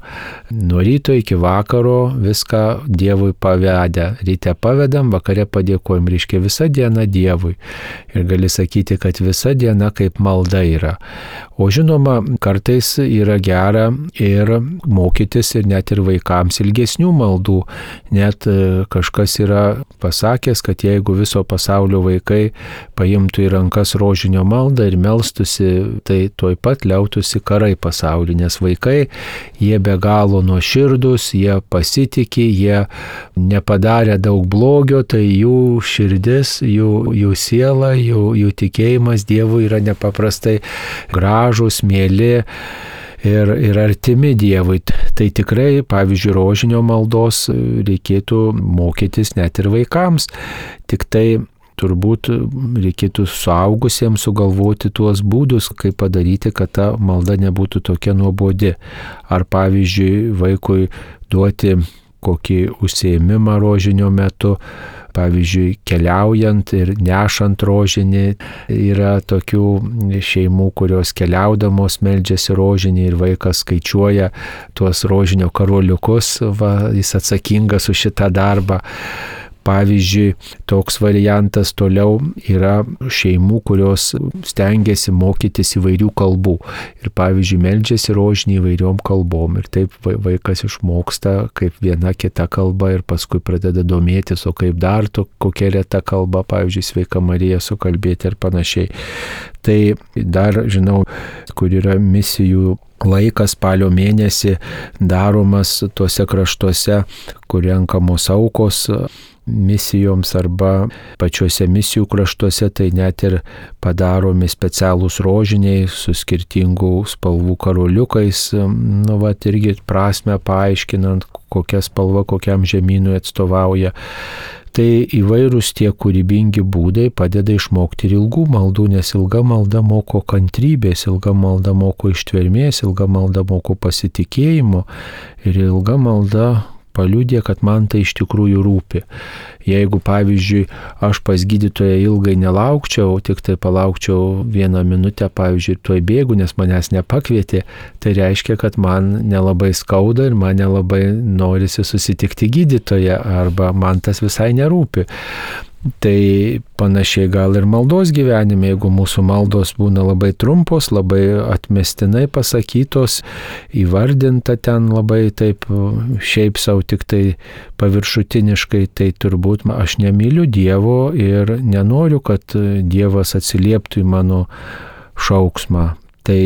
Speaker 2: Nuo ryto iki vakaro viską Dievui pavedę. Ryte pavedam, vakare padėkojam, reiškia visą dieną Dievui. Ir gali sakyti, kad visa diena kaip malda yra. O žinoma, kartais yra gera ir mokytis ir net ir vaikams ilgesnių maldų. Net kažkas yra pasakęs, kad jeigu viso pasaulio vaikai paimtų į rankas rožinio maldą ir melstusi, tai tuoj pat liautųsi karai pasaulyje, nes vaikai, jie be galo nuoširdūs, jie pasitikė, jie nepadarė daug blogio, tai jų širdis, jų, jų siela, jų, jų tikėjimas Dievui yra nepaprastai gražus, mieli. Ir, ir artimi Dievui. Tai tikrai, pavyzdžiui, rožinio maldos reikėtų mokytis net ir vaikams. Tik tai turbūt reikėtų suaugusiems sugalvoti tuos būdus, kaip padaryti, kad ta malda nebūtų tokia nuobodi. Ar pavyzdžiui, vaikui duoti kokį užsiėmimą rožinio metu, pavyzdžiui, keliaujant ir nešant rožinį. Yra tokių šeimų, kurios keliaudamos meldžiasi rožinį ir vaikas skaičiuoja tuos rožinio karoliukus, va, jis atsakingas už šitą darbą. Pavyzdžiui, toks variantas toliau yra šeimų, kurios stengiasi mokytis įvairių kalbų. Ir pavyzdžiui, meldžiasi rožinį įvairiom kalbom. Ir taip vaikas išmoksta kaip viena kita kalba ir paskui pradeda domėtis, o kaip dar to, kokia reta kalba, pavyzdžiui, Sveika Marija sukalbėti ir panašiai. Tai dar žinau, kur yra misijų laikas spalio mėnesį daromas tuose kraštuose, kur renkamos aukos misijoms arba pačiuose misijų kraštuose, tai net ir padaromi specialūs rožiniai su skirtingų spalvų karoliukais, nu vat irgi prasme paaiškinant, kokia spalva kokiam žemynui atstovauja. Tai įvairūs tie kūrybingi būdai padeda išmokti ir ilgų maldų, nes ilga malda moko kantrybės, ilga malda moko ištvermės, ilga malda moko pasitikėjimo ir ilga malda paliudė, kad man tai iš tikrųjų rūpi. Jeigu, pavyzdžiui, aš pas gydytoją ilgai nelaukčiau, tik tai palaukčiau vieną minutę, pavyzdžiui, tuoj bėgu, nes manęs nepakvietė, tai reiškia, kad man nelabai skauda ir man nelabai norisi susitikti gydytoją arba man tas visai nerūpi. Tai panašiai gal ir maldos gyvenime, jeigu mūsų maldos būna labai trumpos, labai atmestinai pasakytos, įvardinta ten labai taip šiaip savo tik tai paviršutiniškai, tai turbūt aš nemyliu Dievo ir nenoriu, kad Dievas atsilieptų į mano šauksmą. Tai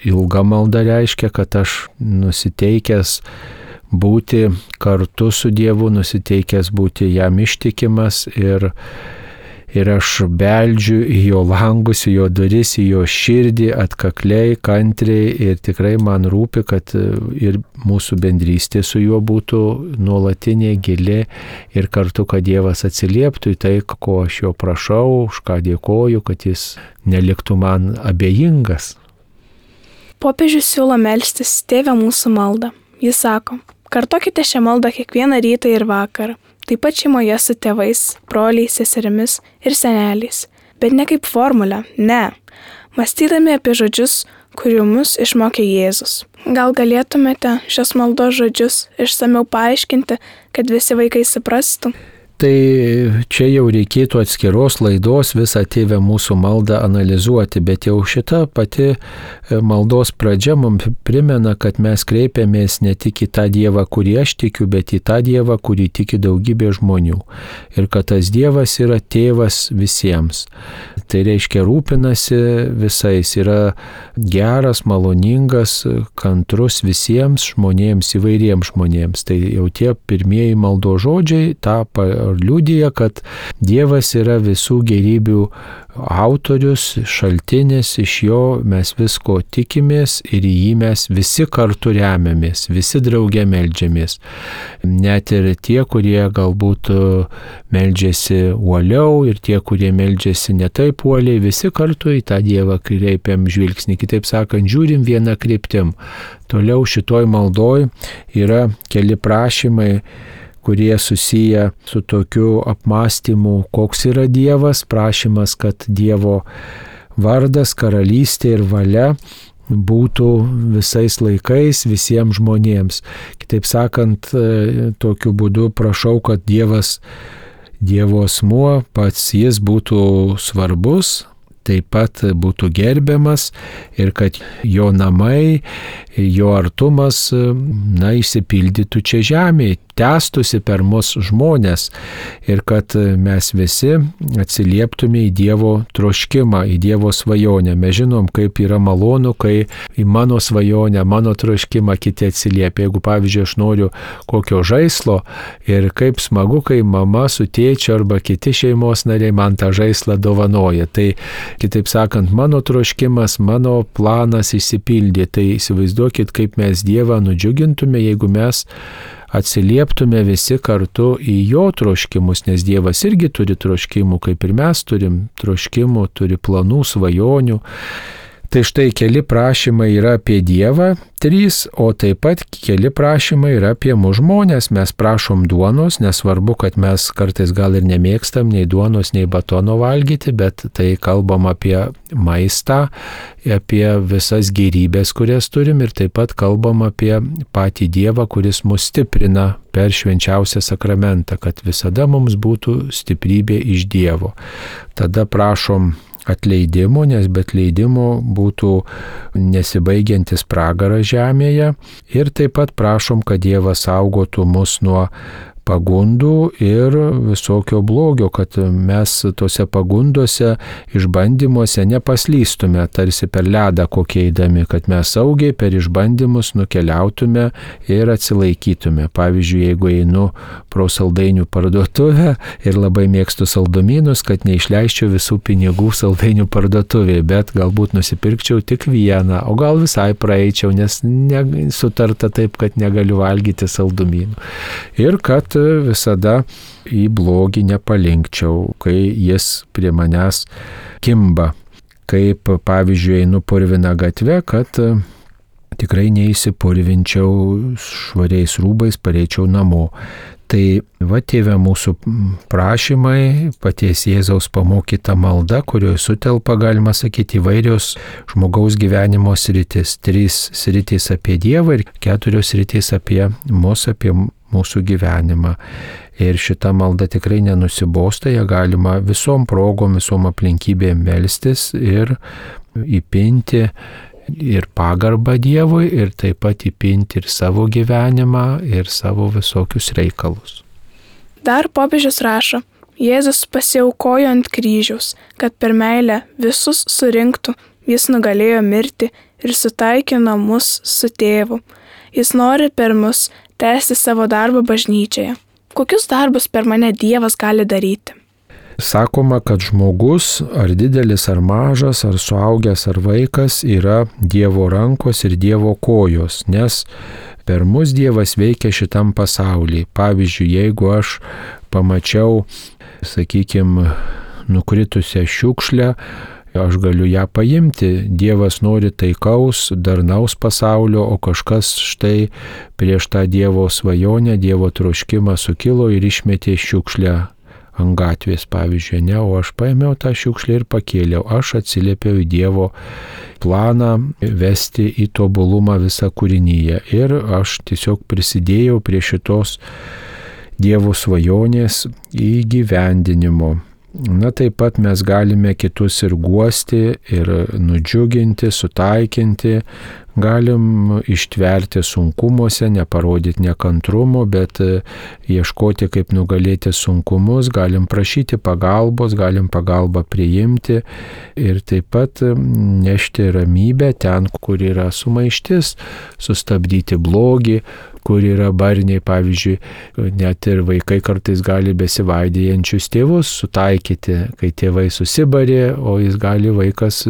Speaker 2: ilga malda reiškia, kad aš nusiteikęs būti kartu su Dievu, nusiteikęs būti jam ištikimas ir, ir aš beldžiu į jo langus, į jo duris, į jo širdį atkakliai, kantriai ir tikrai man rūpi, kad ir mūsų bendrystė su juo būtų nuolatinė, gili ir kartu, kad Dievas atsilieptų į tai, ko aš jo prašau, už ką dėkoju, kad jis neliktų man abejingas.
Speaker 1: Popiežius siūlo melstis Tėve mūsų maldą. Jis sako: kartokite šią maldą kiekvieną rytą ir vakarą, taip pat šeimoje su tėvais, broliais, seserimis ir seneliais. Bet ne kaip formulę, ne. Mąstydami apie žodžius, kurių mus išmokė Jėzus. Gal galėtumėte šios maldos žodžius išsamiau paaiškinti, kad visi vaikai suprastų?
Speaker 2: Tai čia jau reikėtų atskiros laidos visą Tėve mūsų maldą analizuoti, bet jau šita pati maldos pradžia mums primena, kad mes kreipiamės ne tik į tą Dievą, kurį aš tikiu, bet į tą Dievą, kurį tiki daugybė žmonių. Ir kad tas Dievas yra tėvas visiems. Tai reiškia rūpinasi visais, yra geras, maloningas, kantrus visiems žmonėms, įvairiems žmonėms. Tai jau tie pirmieji maldos žodžiai tą liudija, kad Dievas yra visų gerybių autorius, šaltinis, iš jo mes visko tikimės ir į jį mes visi kartu remiamės, visi drauge meldžiamės. Net ir tie, kurie galbūt meldžiasi uoliau ir tie, kurie meldžiasi ne taip uoliai, visi kartu į tą Dievą kreipiam žvilgsnį, kitaip sakant, žiūrim vieną kryptim. Toliau šitoj maldoj yra keli prašymai, kurie susiję su tokiu apmąstymu, koks yra Dievas, prašymas, kad Dievo vardas, karalystė ir valia būtų visais laikais visiems žmonėms. Kitaip sakant, tokiu būdu prašau, kad Dievas, Dievo asmuo, pats jis būtų svarbus, taip pat būtų gerbiamas ir kad jo namai, jo artumas, na, išsipildytų čia žemėje, tęstųsi per mus žmonės ir kad mes visi atsilieptume į Dievo troškimą, į Dievo svajonę. Mes žinom, kaip yra malonu, kai į mano svajonę, mano troškimą kiti atsiliepia. Jeigu, pavyzdžiui, aš noriu kokio žaislo ir kaip smagu, kai mama su tėčiu arba kiti šeimos nariai man tą žaislą dovanoja. Tai, kitaip sakant, mano troškimas, mano planas išsipildė. Tai įsivaizduokit, kaip mes Dievą nudžiugintume, jeigu mes atsilieptume visi kartu į jo troškimus, nes Dievas irgi turi troškimų, kaip ir mes turim troškimų, turi planų, svajonių. Tai štai keli prašymai yra apie Dievą, trys, o taip pat keli prašymai yra apie mūsų žmonės. Mes prašom duonos, nesvarbu, kad mes kartais gal ir nemėgstam nei duonos, nei batono valgyti, bet tai kalbam apie maistą, apie visas gėrybės, kurias turim ir taip pat kalbam apie patį Dievą, kuris mus stiprina per švenčiausią sakramentą, kad visada mums būtų stiprybė iš Dievo. Tada prašom atleidimo, nes be atleidimo būtų nesibaigiantis pragaras žemėje ir taip pat prašom, kad Dievas saugotų mus nuo pagundų ir visokio blogio, kad mes tose pagundose, išbandymuose nepaslystume, tarsi per ledą kokie eidami, kad mes saugiai per išbandymus nukeliautume ir atsilaikytume. Pavyzdžiui, jeigu einu pro saldainių parduotuvę ir labai mėgstu saldumynus, kad neišleisčiau visų pinigų saldainių parduotuvėje, bet galbūt nusipirkčiau tik vieną, o gal visai praeičiau, nes ne, sutarta taip, kad negaliu valgyti saldumynų. Ir kad visada į blogį nepalinkčiau, kai jis prie manęs kimba. Kaip, pavyzdžiui, einu purvina gatve, kad tikrai neįsipurvinčiau švariais rūbais, pareičiau namo. Tai va, Tėve, mūsų prašymai, paties Jėzaus pamokyta malda, kurioje sutelpa, galima sakyti, įvairios žmogaus gyvenimo sritis. Trys sritis apie Dievą ir keturios sritis apie mus, apie mūsų gyvenimą. Ir šita malda tikrai nenusibosta, ją galima visom progom, visom aplinkybėm melstis ir įpinti ir pagarbą Dievui, ir taip pat įpinti ir savo gyvenimą, ir savo visokius reikalus.
Speaker 1: Dar popiežius rašo, Jėzus pasiaukojo ant kryžiaus, kad per meilę visus surinktų, jis nugalėjo mirtį ir sutaikino mus su tėvu. Jis nori per mus tęsti savo darbą bažnyčioje. Kokius darbus per mane Dievas gali daryti?
Speaker 2: Sakoma, kad žmogus, ar didelis, ar mažas, ar suaugęs, ar vaikas, yra Dievo rankos ir Dievo kojos, nes per mus Dievas veikia šitam pasaulyje. Pavyzdžiui, jeigu aš pamačiau, sakykime, nukritusią šiukšlę, aš galiu ją paimti. Dievas nori taikaus, darnaus pasaulio, o kažkas štai prieš tą Dievo svajonę, Dievo troškimą sukilo ir išmetė šiukšlę ant gatvės, pavyzdžiui, ne, o aš paėmiau tą šiukšlę ir pakėliau. Aš atsiliepiau į Dievo planą vesti į tobulumą visą kūrinyje ir aš tiesiog prisidėjau prie šitos Dievo svajonės įgyvendinimo. Na, taip pat mes galime kitus ir guosti, ir nudžiuginti, sutaikinti, galim ištverti sunkumuose, neparodyti nekantrumo, bet ieškoti, kaip nugalėti sunkumus, galim prašyti pagalbos, galim pagalbą priimti ir taip pat nešti ramybę ten, kur yra sumaištis, sustabdyti blogį, kur yra barniai, pavyzdžiui, net ir vaikai kartais gali besivaidėjančius tėvus sutaikyti, kai tėvai susibarė, o jis gali vaikas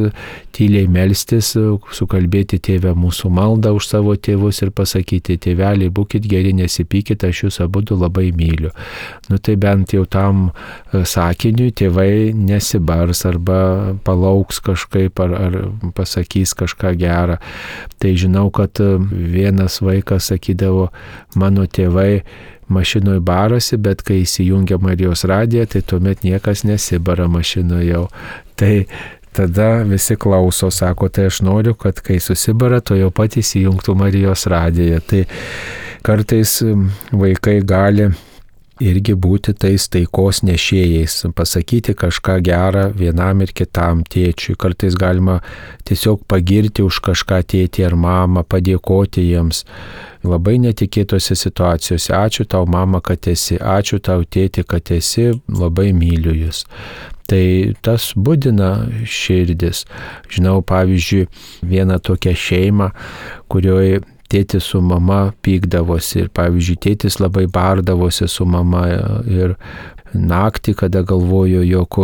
Speaker 2: tyliai melstis, sukalbėti tėvę mūsų maldą už savo tėvus ir pasakyti, tėveliai, būkit geri, nesipykit, aš jūs abudu labai myliu. Nu tai bent jau tam sakiniui tėvai nesibars arba palauks kažkaip ar, ar pasakys kažką gerą. Tai žinau, kad vienas vaikas sakydavo, mano tėvai mašinoje barasi, bet kai įsijungia Marijos radiją, tai tuomet niekas nesibara mašinoje jau. Tai tada visi klauso, sako, tai aš noriu, kad kai susibara, to jau pat įsijungtų Marijos radiją. Tai kartais vaikai gali irgi būti tais taikos nešėjais, pasakyti kažką gerą vienam ir kitam tėčiui. Kartais galima tiesiog pagirti už kažką tėtį ar mamą, padėkoti jiems. Labai netikėtose situacijose. Ačiū tau, mama, kad esi, ačiū tau, tėti, kad esi, labai myliu jūs. Tai tas budina širdis. Žinau, pavyzdžiui, vieną tokią šeimą, kurioje tėtis su mama pykdavosi ir, pavyzdžiui, tėtis labai bardavosi su mama ir naktį, kada galvojo, jog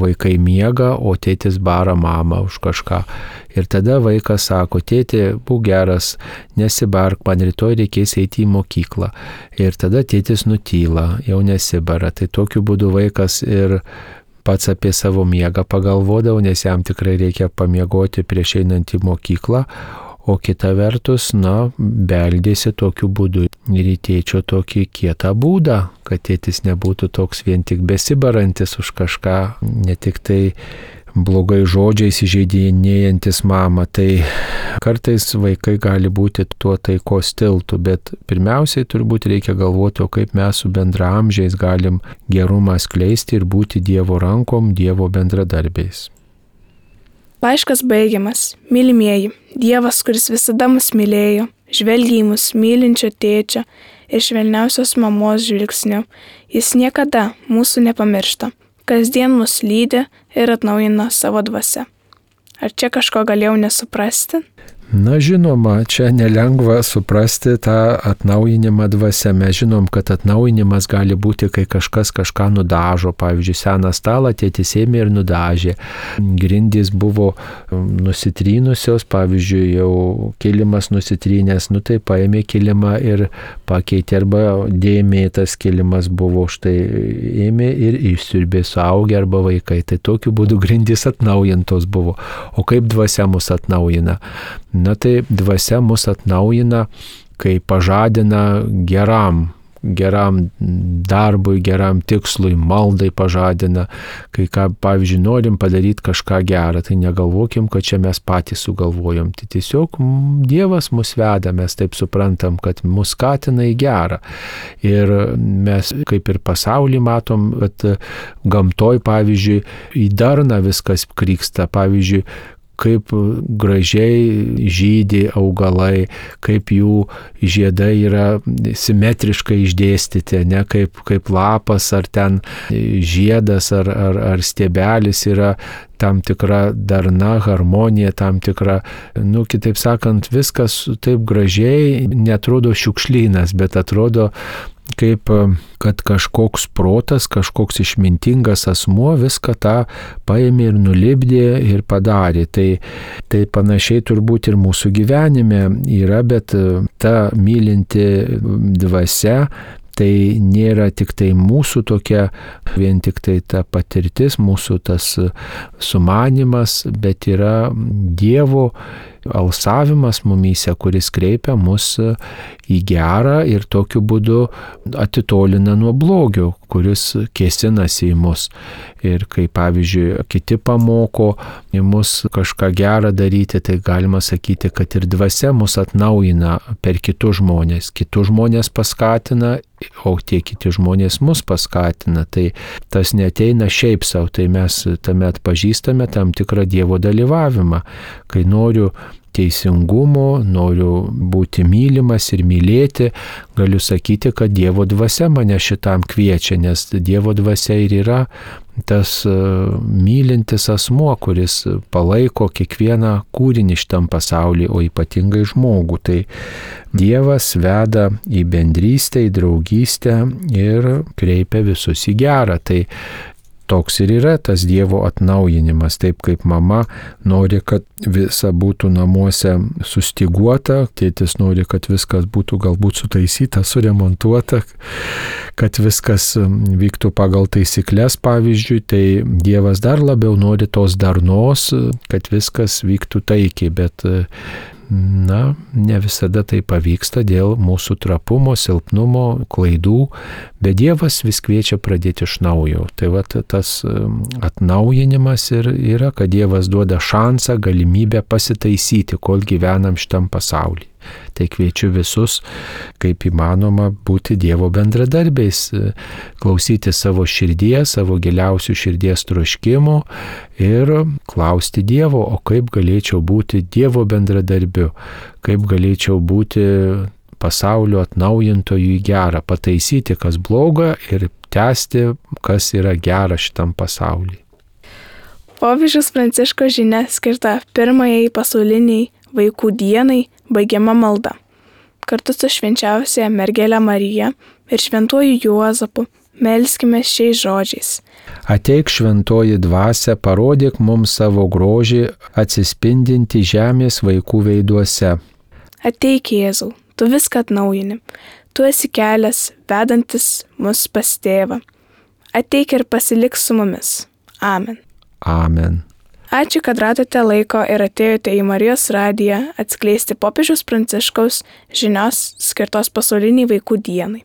Speaker 2: vaikai miega, o tėtis bara mamą už kažką. Ir tada vaikas sako, tėti, būk geras, nesibark, man rytoj reikės eiti į mokyklą. Ir tada tėtis nutyla, jau nesibara. Tai tokiu būdu vaikas ir pats apie savo miegą pagalvodavo, nes jam tikrai reikia pamiegoti prieš einant į mokyklą. O kita vertus, na, beldėsi tokiu būdu ir į tėčio tokį kietą būdą, kad tėtis nebūtų toks vien tik besibarantis už kažką, ne tik tai blogai žodžiais įžeidinėjantis mamą. Tai kartais vaikai gali būti tuo taikos tiltu, bet pirmiausiai turbūt reikia galvoti, o kaip mes su bendraamžiais galim gerumą skleisti ir būti Dievo rankom, Dievo bendradarbiais.
Speaker 1: Laiškas baigiamas. Mylimieji, Dievas, kuris visada mus mylėjo, žvelgia į mus mylinčio tėčio ir švelniausios mamos žvilgsniu. Jis niekada mūsų nepamiršta. Kasdien mus lydi ir atnaujina savo dvasia. Ar čia kažko galėjau nesuprasti?
Speaker 2: Na žinoma, čia nelengva suprasti tą atnaujinimą dvasia. Mes žinom, kad atnaujinimas gali būti, kai kažkas kažką nudažo. Pavyzdžiui, seną stalą tėtis ėmė ir nudažė. Grindys buvo nusitrynusios, pavyzdžiui, jau kilimas nusitrynęs, nu tai paėmė kilimą ir pakeitė, arba dėmėtas kilimas buvo, štai ėmė ir išsiurbė suaugę arba vaikai. Tai tokiu būdu grindys atnaujintos buvo. O kaip dvasia mus atnaujina? Na tai dvasia mus atnaujina, kai pažadina geram, geram darbui, geram tikslui, maldai pažadina, kai ką, pavyzdžiui, norim padaryti kažką gerą, tai negalvokim, kad čia mes patys sugalvojom. Tai tiesiog Dievas mus veda, mes taip suprantam, kad mus skatina į gerą. Ir mes kaip ir pasaulį matom, kad gamtoj, pavyzdžiui, į darną viskas kryksta, pavyzdžiui, kaip gražiai žydi augalai, kaip jų žiedai yra simetriškai išdėstyti, ne kaip, kaip lapas ar ten žiedas ar, ar, ar stiebelis yra tam tikra darna, harmonija, tam tikra, nu, kitaip sakant, viskas taip gražiai, netrodo šiukšlynas, bet atrodo kaip, kad kažkoks protas, kažkoks išmintingas asmuo viską tą paėmė ir nulipdė ir padarė. Tai, tai panašiai turbūt ir mūsų gyvenime yra, bet ta mylinti dvasia, tai nėra tik tai mūsų tokia, vien tik tai ta patirtis, mūsų tas sumanimas, bet yra Dievo alsavimas mumyse, kuris kreipia mus į gerą ir tokiu būdu atitolina nuo blogio, kuris kėsinasi į mus. Ir kai, pavyzdžiui, kiti pamoko į mus kažką gerą daryti, tai galima sakyti, kad ir dvasia mus atnaujina per kitus žmonės. Kitus žmonės paskatina, o tie kiti žmonės mus paskatina. Tai tas neteina šiaip savo, tai mes tame atpažįstame tam tikrą Dievo dalyvavimą. Kai noriu teisingumo, noriu būti mylimas ir mylėti, galiu sakyti, kad Dievo dvasia mane šitam kviečia, nes Dievo dvasia ir yra tas mylintis asmuo, kuris palaiko kiekvieną kūrinį šitam pasaulyje, o ypatingai žmogų. Tai Dievas veda į bendrystę, į draugystę ir kreipia visus į gerą. Tai toks ir yra tas Dievo atnaujinimas, taip kaip mama nori, kad visa būtų namuose sustyguota, tėtis nori, kad viskas būtų galbūt sutaisyta, suremontuota, kad viskas vyktų pagal taisyklės, pavyzdžiui, tai Dievas dar labiau nori tos darnos, kad viskas vyktų taikiai, bet na, ne visada tai pavyksta dėl mūsų trapumo, silpnumo, klaidų, bet Dievas vis kviečia pradėti iš naujo. Tai va tas atnaujinimas ir yra, kad Dievas duoda šansą, galimybę pasitaisyti, kol gyvenam šitam pasaulyje. Tai kviečiu visus, kaip įmanoma, būti Dievo bendradarbiais, klausyti savo širdies, savo giliausių širdies troškimų ir klausti Dievo, o kaip galėčiau būti Dievo bendradarbiu, kaip galėčiau būti pasaulio atnaujintojų į gerą, pataisyti, kas bloga ir tęsti, kas yra gera šitam pasaulyje.
Speaker 1: Popiežiaus Pranciškaus žinia skirta pirmajai pasauliniai vaikų dienai baigiama malda. Kartu su švenčiausiaja mergele Marija ir šventuoju Juozapu melskime šiais žodžiais.
Speaker 2: Ateik šventoji dvasia, parodyk mums savo grožį atsispindinti žemės vaikų veiduose.
Speaker 1: Ateik Jėzau, tu viską atnaujini. Tu esi kelias, vedantis mus pas tėvą. Ateik ir pasilik su mumis. Amen.
Speaker 2: Amen.
Speaker 1: Ačiū, kad radote laiko ir atėjote į Marijos radiją atskleisti popiežiaus Pranciškaus žinios skirtos pasauliniai vaikų dienai.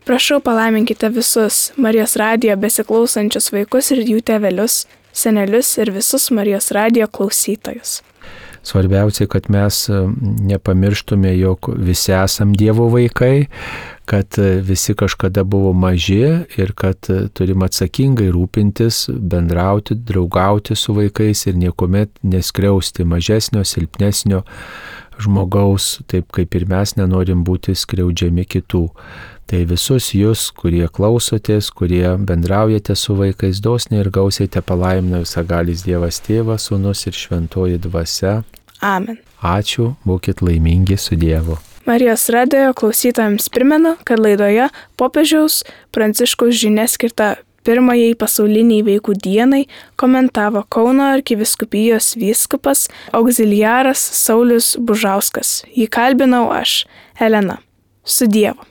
Speaker 1: Prašau, palaiminkite visus Marijos radijo besiklausančius vaikus ir jų tėvelius, senelius ir visus Marijos radijo klausytojus.
Speaker 2: Svarbiausia, kad mes nepamirštume, jog visi esam Dievo vaikai, kad visi kažkada buvo maži ir kad turim atsakingai rūpintis, bendrauti, draugauti su vaikais ir niekuomet neskriausti mažesnio, silpnesnio žmogaus, taip kaip ir mes nenorim būti skriaudžiami kitų. Tai visus jūs, kurie klausotės, kurie bendraujate su vaikais, dosniai ir gausiai te palaimina visagalis Dievas Tėvas, Sūnus ir Šventoji Dvasia.
Speaker 1: Amen.
Speaker 2: Ačiū, būkit laimingi su Dievu.
Speaker 1: Marijos radijo klausytojams primenu, kad laidoje popiežiaus Pranciškaus žinia skirta pirmajai pasauliniai vaikų dienai komentavo Kauno arkivyskupijos vyskupas auxiliaras Saulius Bužauskas. Jį kalbinau aš, Elena. Su Dievu.